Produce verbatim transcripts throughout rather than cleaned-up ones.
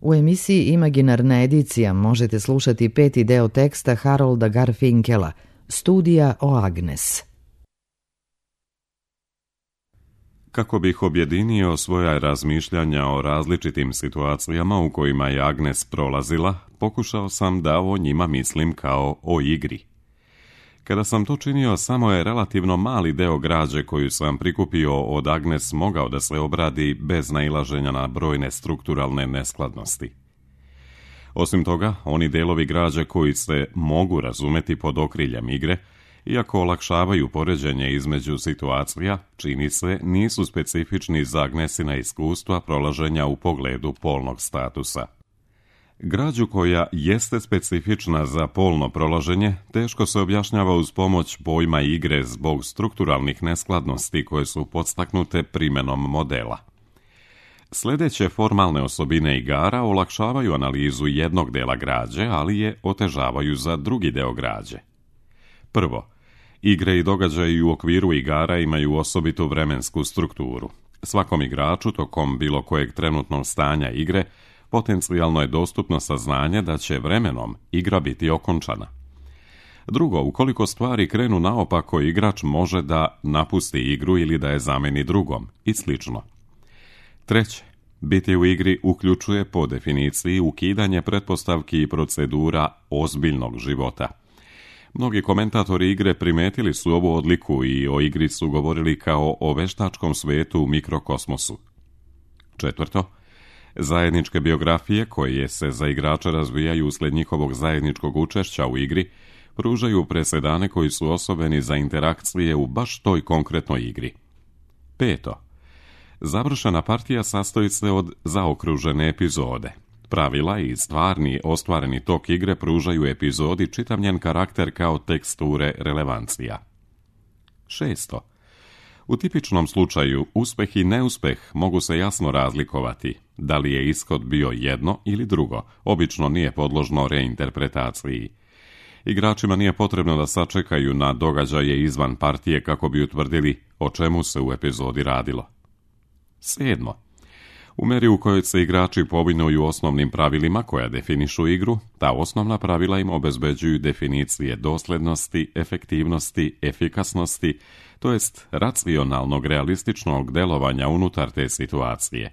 U emisiji Imaginarna edicija možete slušati peti deo teksta Harolda Garfinkela, Studija o Agnes. Kako bih objedinio svoja razmišljanja o različitim situacijama u kojima je Agnes prolazila, pokušao sam da o njima mislim kao o igri. Kada sam to činio, samo je relativno mali deo građe koju sam prikupio od Agnes mogao da se obradi bez nailaženja na brojne strukturalne neskladnosti. Osim toga, oni delovi građe koji se mogu razumeti pod okriljem igre, iako olakšavaju poređenje između situacija, čini se, nisu specifični za Agnesina iskustva prolaženja u pogledu polnog statusa. Građu koja jeste specifična za polno prolaženje teško se objašnjava uz pomoć pojma igre zbog strukturalnih neskladnosti koje su podstaknute primenom modela. Sljedeće formalne osobine igara olakšavaju analizu jednog dela građe, ali je otežavaju za drugi deo građe. Prvo, igre i događaji u okviru igara imaju osobitu vremensku strukturu. Svakom igraču tokom bilo kojeg trenutnog stanja igre potencijalno je dostupno saznanje da će vremenom igra biti okončana. Drugo, ukoliko stvari krenu naopako, igrač može da napusti igru ili da je zameni drugom i slično. Treće, biti u igri uključuje po definiciji ukidanje pretpostavki i procedura ozbiljnog života. Mnogi komentatori igre primetili su ovu odliku i o igri su govorili kao o veštačkom svetu u mikrokosmosu. Četvrto, zajedničke biografije koje se za igrača razvijaju usled njihovog zajedničkog učešća u igri pružaju presedane koji su osobeni za interakcije u baš toj konkretnoj igri. Peto, završena partija sastoji se od zaokružene epizode. Pravila i stvarni ostvareni tok igre pružaju epizodi čitav njen karakter kao teksture relevancija. Šesto, u tipičnom slučaju uspeh i neuspeh mogu se jasno razlikovati. Da li je ishod bio jedno ili drugo, obično nije podložno reinterpretaciji. Igračima nije potrebno da sačekaju na događaje izvan partije kako bi utvrdili o čemu se u epizodi radilo. Sedmo, u meri u kojoj se igrači povinuju osnovnim pravilima koja definišu igru, ta osnovna pravila im obezbeđuju definicije doslednosti, efektivnosti, efikasnosti, to jest racionalnog, realističnog delovanja unutar te situacije.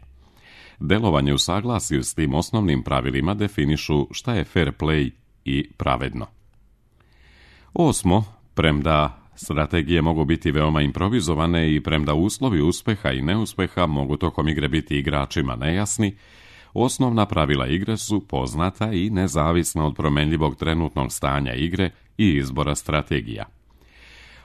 Delovanje u saglasju s tim osnovnim pravilima definišu šta je fair play i pravedno. Osmo, premda strategije mogu biti veoma improvizovane i premda uslovi uspeha i neuspeha mogu tokom igre biti igračima nejasni, osnovna pravila igre su poznata i nezavisna od promenljivog trenutnog stanja igre i izbora strategija.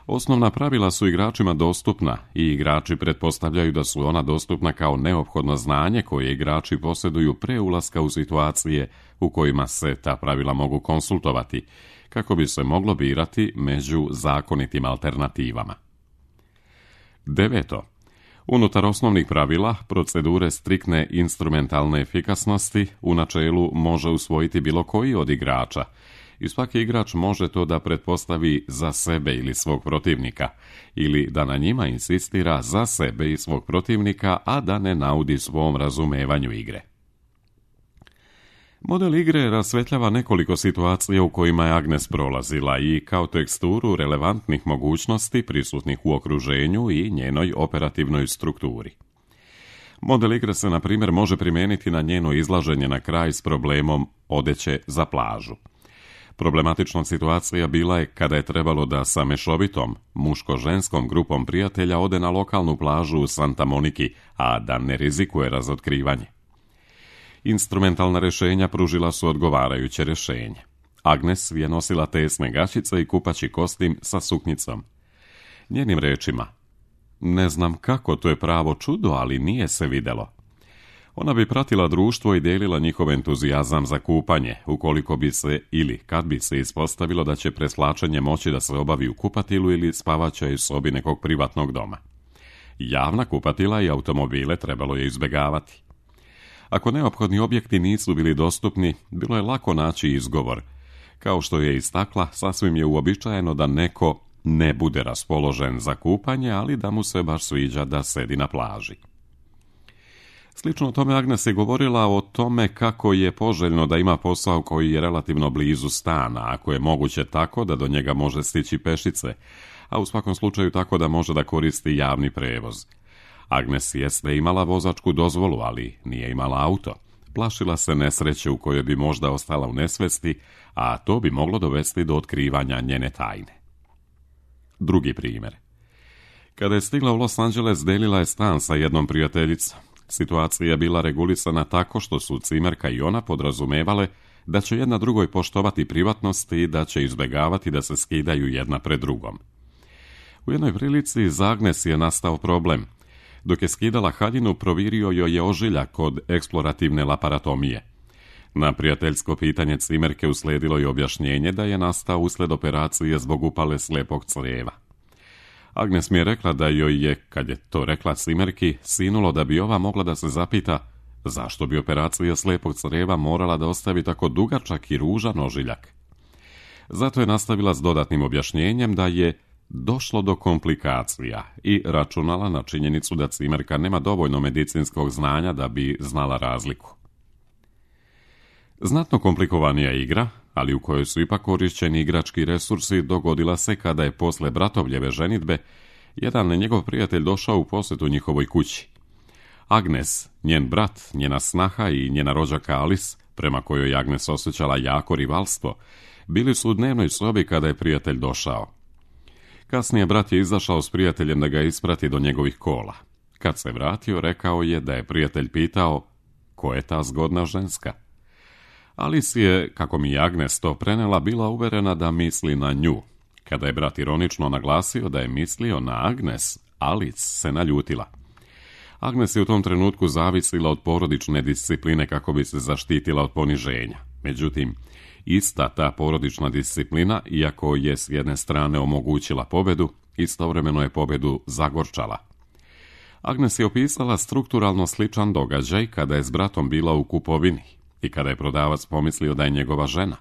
Osnovna pravila su igračima dostupna i igrači pretpostavljaju da su ona dostupna kao neophodno znanje koje igrači posjeduju pre ulaska u situacije u kojima se ta pravila mogu konsultovati, kako bi se moglo birati među zakonitim alternativama. Deveto. Unutar osnovnih pravila, procedure striktne instrumentalne efikasnosti u načelu može usvojiti bilo koji od igrača i svaki igrač može to da pretpostavi za sebe ili svog protivnika, ili da na njima insistira za sebe i svog protivnika, a da ne naudi svom razumevanju igre. Model igre rasvetljava nekoliko situacija u kojima je Agnes prolazila i kao teksturu relevantnih mogućnosti prisutnih u okruženju i njenoj operativnoj strukturi. Model igre se, na primjer, može primijeniti na njeno izlaženje na kraj s problemom odeće za plažu. Problematična situacija bila je kada je trebalo da sa mešovitom, muško-ženskom grupom prijatelja ode na lokalnu plažu u Santa Moniki, a da ne rizikuje razotkrivanje. Instrumentalna rješenja pružila su odgovarajuće rješenje. Agnes je nosila tesne gaćice i kupaći kostim sa suknjicom. Njenim rečima, ne znam kako, to je pravo čudo, ali nije se videlo. Ona bi pratila društvo i delila njihov entuzijazam za kupanje, ukoliko bi se ili kad bi se ispostavilo da će preslačenje moći da se obavi u kupatilu ili spavaćoj sobi nekog privatnog doma. Javna kupatila i automobile trebalo je izbjegavati. Ako neophodni objekti nisu bili dostupni, bilo je lako naći izgovor. Kao što je istakla, sasvim je uobičajeno da neko ne bude raspoložen za kupanje, ali da mu se baš sviđa da sedi na plaži. Slično o tome Agnes je govorila o tome kako je poželjno da ima posao koji je relativno blizu stana, ako je moguće tako da do njega može stići pešice, a u svakom slučaju tako da može da koristi javni prevoz. Agnes jeste imala vozačku dozvolu, ali nije imala auto. Plašila se nesreće u kojoj bi možda ostala u nesvesti, a to bi moglo dovesti do otkrivanja njene tajne. Drugi primjer. Kada je stigla u Los Angeles, delila je stan sa jednom prijateljicom. Situacija je bila regulisana tako što su cimerka i ona podrazumevale da će jedna drugoj poštovati privatnost i da će izbjegavati da se skidaju jedna pred drugom. U jednoj prilici za Agnes je nastao problem. Dok je skidala haljinu, provirio joj je ožiljak od eksplorativne laparatomije. Na prijateljsko pitanje cimerke uslijedilo je objašnjenje da je nastao usled operacije zbog upale slijepog crijeva. Agnes mi je rekla da joj je, kad je to rekla cimerki, sinulo da bi ova mogla da se zapita zašto bi operacija slijepog crijeva morala da ostavi tako dugačak i ružan ožiljak. Zato je nastavila s dodatnim objašnjenjem da je došlo do komplikacija i računala na činjenicu da cimerka nema dovoljno medicinskog znanja da bi znala razliku. Znatno komplikovanija igra, ali u kojoj su ipak korišćeni igrački resursi, dogodila se kada je posle bratovljeve ženidbe jedan njegov prijatelj došao u posjetu njihovoj kući. Agnes, njen brat, njena snaha i njena rođaka Alice, prema kojoj Agnes osjećala jako rivalstvo, bili su u dnevnoj sobi kada je prijatelj došao. Kasnije brat je izašao s prijateljem da ga isprati do njegovih kola. Kad se vratio, rekao je da je prijatelj pitao ko je ta zgodna ženska. Alice je, kako mi je Agnes to prenela, bila uverena da misli na nju. Kada je brat ironično naglasio da je mislio na Agnes, Alice se naljutila. Agnes je u tom trenutku zavisila od porodične discipline kako bi se zaštitila od poniženja. Međutim, ista ta porodična disciplina, iako je s jedne strane omogućila pobedu, istovremeno je pobedu zagorčala. Agnes je opisala strukturalno sličan događaj kada je s bratom bila u kupovini i kada je prodavac pomislio da je njegova žena.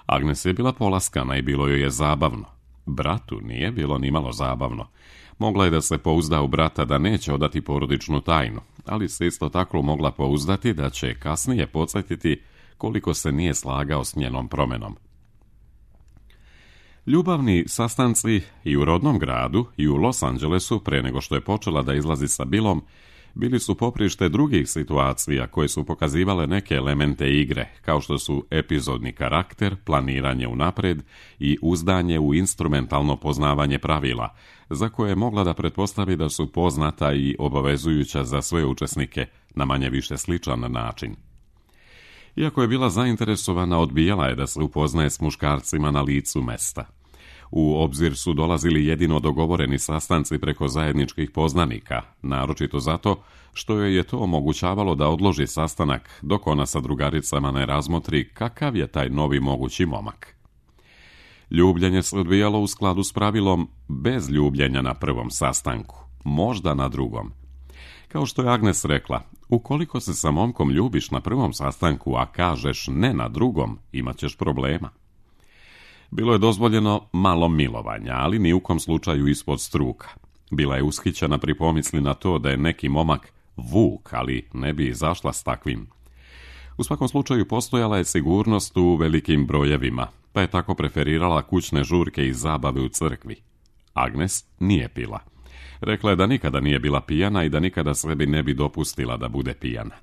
Agnes je bila polaskana i bilo joj je zabavno. Bratu nije bilo nimalo zabavno. Mogla je da se pouzda u brata da neće odati porodičnu tajnu, ali se isto tako mogla pouzdati da će kasnije podsjetiti koliko se nije slagao s njenom promenom. Ljubavni sastanci i u rodnom gradu i u Los Angelesu, pre nego što je počela da izlazi sa Billom, bili su poprište drugih situacija koje su pokazivale neke elemente igre, kao što su epizodni karakter, planiranje unapred i uzdanje u instrumentalno poznavanje pravila, za koje je mogla da pretpostavi da su poznata i obavezujuća za sve učesnike na manje više sličan način. Iako je bila zainteresovana, odbijala je da se upoznaje s muškarcima na licu mesta. U obzir su dolazili jedino dogovoreni sastanci preko zajedničkih poznanika, naročito zato što joj je to omogućavalo da odloži sastanak dok ona sa drugaricama ne razmotri kakav je taj novi mogući momak. Ljubljenje se odvijalo u skladu s pravilom bez ljubljenja na prvom sastanku, možda na drugom. Kao što je Agnes rekla, ukoliko se sa momkom ljubiš na prvom sastanku, a kažeš ne na drugom, imat ćeš problema. Bilo je dozvoljeno malo milovanja, ali ni u kom slučaju ispod struka. Bila je ushićena pri pomisli na to da je neki momak vuk, ali ne bi izašla s takvim. U svakom slučaju postojala je sigurnost u velikim brojevima, pa je tako preferirala kućne žurke i zabave u crkvi. Agnes nije pila. Rekla je da nikada nije bila pijana i da nikada sebi ne bi dopustila da bude pijana.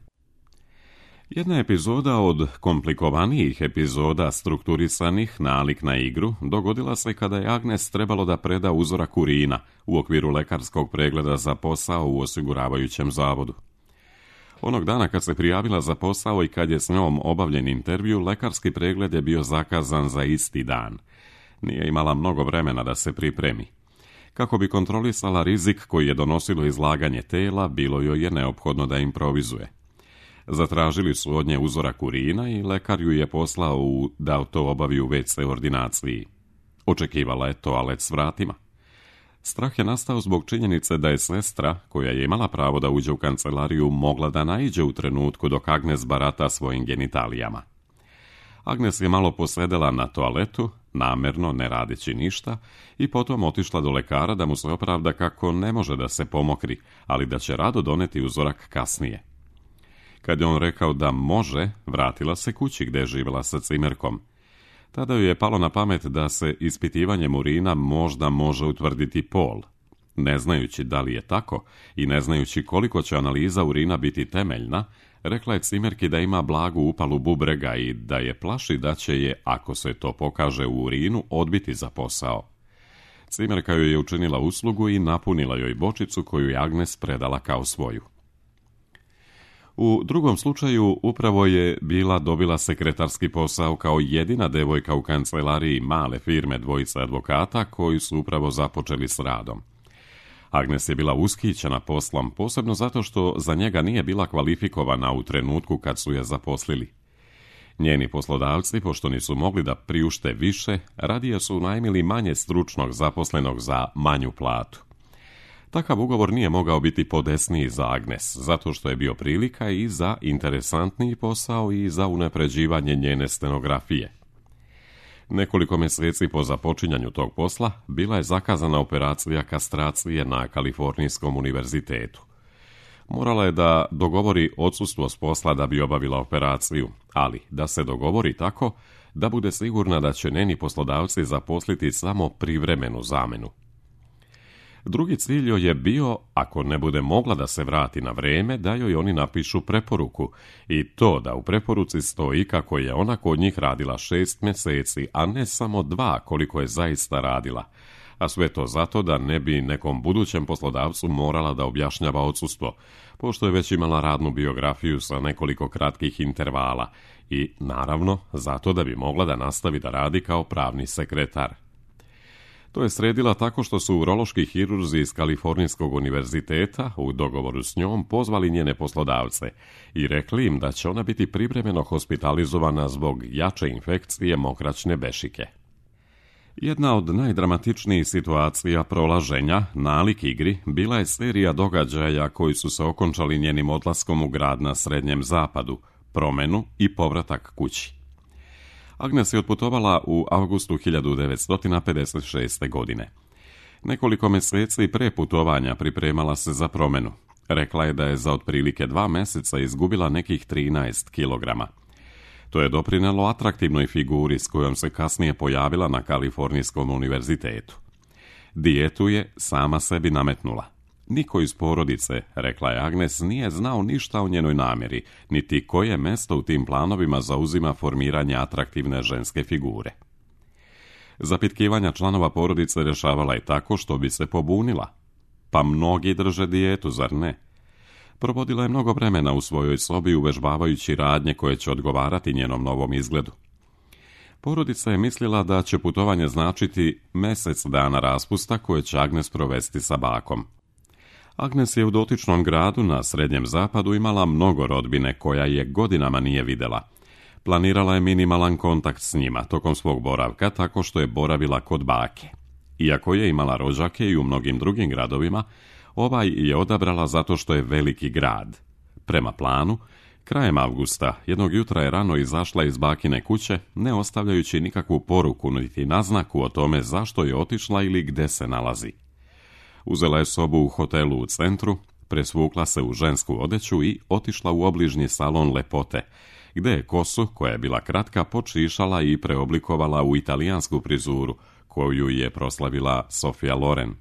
Jedna epizoda od komplikovanijih epizoda strukturisanih nalik na igru dogodila se kada je Agnes trebalo da preda uzorak urina u okviru lekarskog pregleda za posao u osiguravajućem zavodu. Onog dana kad se prijavila za posao i kad je s njom obavljen intervju, lekarski pregled je bio zakazan za isti dan. Nije imala mnogo vremena da se pripremi. Kako bi kontrolisala rizik koji je donosilo izlaganje tela, bilo joj je neophodno da improvizuje. Zatražili su od nje uzorak urina i lekar ju je poslao u, da to obavi u ve ce ordinaciji. Očekivala je toalet s vratima. Strah je nastao zbog činjenice da je sestra, koja je imala pravo da uđe u kancelariju, mogla da naiđe u trenutku dok Agnes barata svojim genitalijama. Agnes je malo posedela na toaletu, namerno ne radeći ništa, i potom otišla do lekara da mu se opravda kako ne može da se pomokri, ali da će rado doneti uzorak kasnije. Kad je on rekao da može, vratila se kući gdje je živjela sa cimerkom. Tada joj je palo na pamet da se ispitivanjem urina možda može utvrditi pol. Ne znajući da li je tako i ne znajući koliko će analiza urina biti temeljna, rekla je cimerki da ima blagu upalu bubrega i da je plaši da će je, ako se to pokaže u urinu, odbiti za posao. Cimerka joj je učinila uslugu i napunila joj bočicu koju je Agnes predala kao svoju. U drugom slučaju upravo je bila dobila sekretarski posao kao jedina devojka u kancelariji male firme dvojice advokata koji su upravo započeli s radom. Agnes je bila ushićena poslom, posebno zato što za njega nije bila kvalifikovana u trenutku kad su je zaposlili. Njeni poslodavci, pošto nisu mogli da priušte više, radije su najmili manje stručnog zaposlenog za manju platu. Takav ugovor nije mogao biti podesniji za Agnes, zato što je bio prilika i za interesantniji posao i za unapređivanje njene stenografije. Nekoliko mjeseci po započinjanju tog posla bila je zakazana operacija kastracije na Kalifornijskom univerzitetu. Morala je da dogovori odsustvo s posla da bi obavila operaciju, ali da se dogovori tako da bude sigurna da će njeni poslodavci zaposliti samo privremenu zamenu. Drugi cilj joj je bio, ako ne bude mogla da se vrati na vrijeme, da joj oni napišu preporuku i to da u preporuci stoji kako je ona kod njih radila šest mjeseci, a ne samo dva koliko je zaista radila, a sve to zato da ne bi nekom budućem poslodavcu morala da objašnjava odsustvo, pošto je već imala radnu biografiju sa nekoliko kratkih intervala i, naravno, zato da bi mogla da nastavi da radi kao pravni sekretar. To je sredila tako što su urološki hirurzi iz Kalifornijskog univerziteta u dogovoru s njom pozvali njene poslodavce i rekli im da će ona biti privremeno hospitalizovana zbog jače infekcije mokraćne bešike. Jedna od najdramatičnijih situacija prolaženja, nalik igri, bila je serija događaja koji su se okončali njenim odlaskom u grad na Srednjem zapadu, promenu i povratak kući. Agnes je otputovala u avgustu hiljadu devetsto pedeset šeste. godine. Nekoliko mjeseci pre putovanja pripremala se za promenu. Rekla je da je za otprilike dva mjeseca izgubila nekih trinaest kilograma. To je doprinelo atraktivnoj figuri s kojom se kasnije pojavila na Kalifornijskom univerzitetu. Dijetu je sama sebi nametnula. Niko iz porodice, rekla je Agnes, nije znao ništa o njenoj namjeri, niti koje mjesto u tim planovima zauzima formiranje atraktivne ženske figure. Zapitkivanja članova porodice rješavala je tako što bi se pobunila. Pa mnogi drže dijetu, zar ne? Provodila je mnogo vremena u svojoj sobi uvežbavajući radnje koje će odgovarati njenom novom izgledu. Porodica je mislila da će putovanje značiti mjesec dana raspusta koje će Agnes provesti sa bakom. Agnes je u dotičnom gradu na Srednjem zapadu imala mnogo rodbine koja je godinama nije vidjela. Planirala je minimalan kontakt s njima tokom svog boravka tako što je boravila kod bake. Iako je imala rođake i u mnogim drugim gradovima, ovaj je odabrala zato što je veliki grad. Prema planu, krajem avgusta jednog jutra je rano izašla iz bakine kuće, ne ostavljajući nikakvu poruku niti naznaku o tome zašto je otišla ili gde se nalazi. Uzela je sobu u hotelu u centru, presvukla se u žensku odeću i otišla u obližnji salon lepote, gde je kosu, koja je bila kratka, počišala i preoblikovala u italijansku prizuru, koju je proslavila Sofia Loren.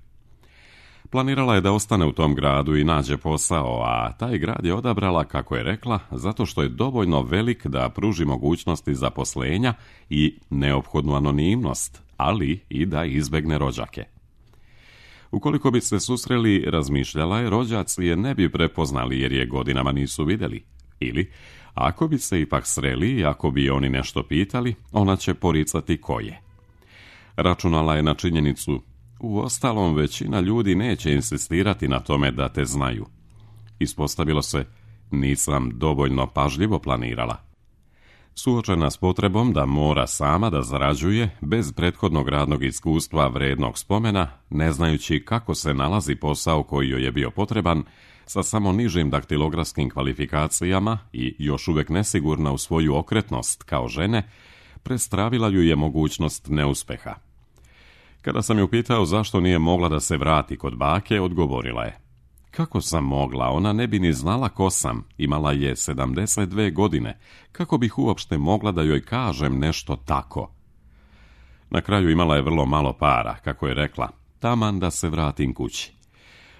Planirala je da ostane u tom gradu i nađe posao, a taj grad je odabrala, kako je rekla, zato što je dovoljno velik da pruži mogućnosti zaposlenja i neophodnu anonimnost, ali i da izbegne rođake. Ukoliko bi se susreli, razmišljala je, rođaci je ne bi prepoznali jer je godinama nisu vidjeli. Ili, ako bi se ipak sreli i ako bi oni nešto pitali, ona će poricati ko je. Računala je na činjenicu, u ostalom većina ljudi neće insistirati na tome da te znaju. Ispostavilo se, nisam dovoljno pažljivo planirala. Suočena s potrebom da mora sama da zarađuje, bez prethodnog radnog iskustva vrednog spomena, ne znajući kako se nalazi posao koji joj je bio potreban, sa samo nižim daktilografskim kvalifikacijama i još uvijek nesigurna u svoju okretnost kao žene, prestravila ju je mogućnost neuspeha. Kada sam ju pitao zašto nije mogla da se vrati kod bake, odgovorila je: Kako sam mogla, ona ne bi ni znala ko sam, imala je sedamdeset dve godine, kako bih uopšte mogla da joj kažem nešto tako? Na kraju imala je vrlo malo para, kako je rekla, taman da se vratim kući.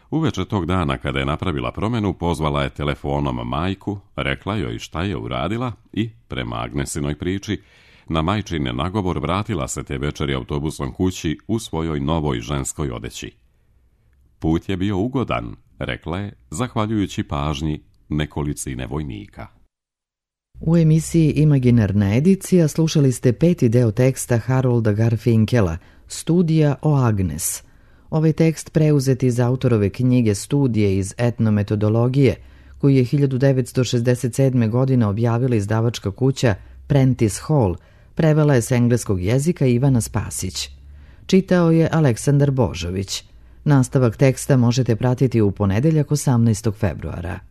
Uveče tog dana, kada je napravila promjenu, pozvala je telefonom majku, rekla joj šta je uradila i, prema Agnesinoj priči, na majčin nagovor vratila se te večeri autobusom kući u svojoj novoj ženskoj odeći. Put je bio ugodan, rekla je, zahvaljujući pažnji nekolicine vojnika. U emisiji Imaginarna edicija slušali ste peti deo teksta Harolda Garfinkela, Studija o Agnes. Ovaj tekst preuzet iz autorove knjige Studije iz etnometodologije, koju je hiljadu devetsto šezdeset sedme. godine objavila izdavačka kuća Prentice Hall, prevela je s engleskog jezika Ivana Spasić. Čitao je Aleksandar Božović. Nastavak teksta možete pratiti u ponedeljak osamnaestog februara.